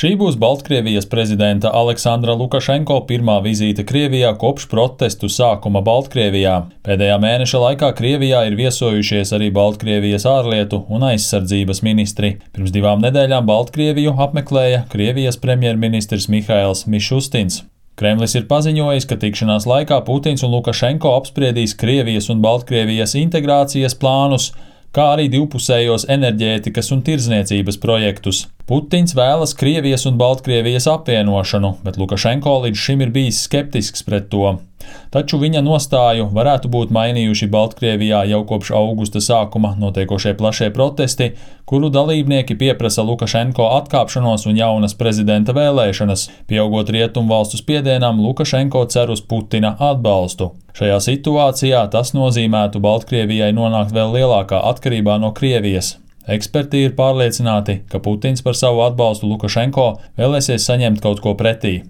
Šī būs Baltkrievijas prezidenta Aleksandra Lukašenko pirmā vizīte Krievijā kopš protestu sākuma Baltkrievijā. Pēdējā mēneša laikā Krievijā ir viesojušies arī Baltkrievijas ārlietu un aizsardzības ministri. Pirms 2 nedēļām Baltkrieviju apmeklēja Krievijas premjerministrs Mihails Mišustins. Kremlis ir paziņojis, ka tikšanās laikā Putins un Lukašenko apspriedīs Krievijas un Baltkrievijas integrācijas plānus, kā arī divpusējos enerģētikas un tirdzniecības projektus. Putins vēlas Krievijas un Baltkrievijas apvienošanu, bet Lukašenko līdz šim ir bijis skeptisks pret to. Taču viņa nostāju varētu būt mainījuši Baltkrievijā jau kopš augusta sākuma notiekošie plašie protesti, kuru dalībnieki pieprasa Lukašenko atkāpšanos un jaunas prezidenta vēlēšanas. Pieaugot rietumvalstu spiedienam, Lukašenko cer uz Putina atbalstu. Šajā situācijā tas nozīmētu Baltkrievijai nonākt vēl lielākā atkarībā no Krievijas. Eksperti ir pārliecināti, ka Putins par savu atbalstu Lukašenko vēlēsies saņemt kaut ko pretī.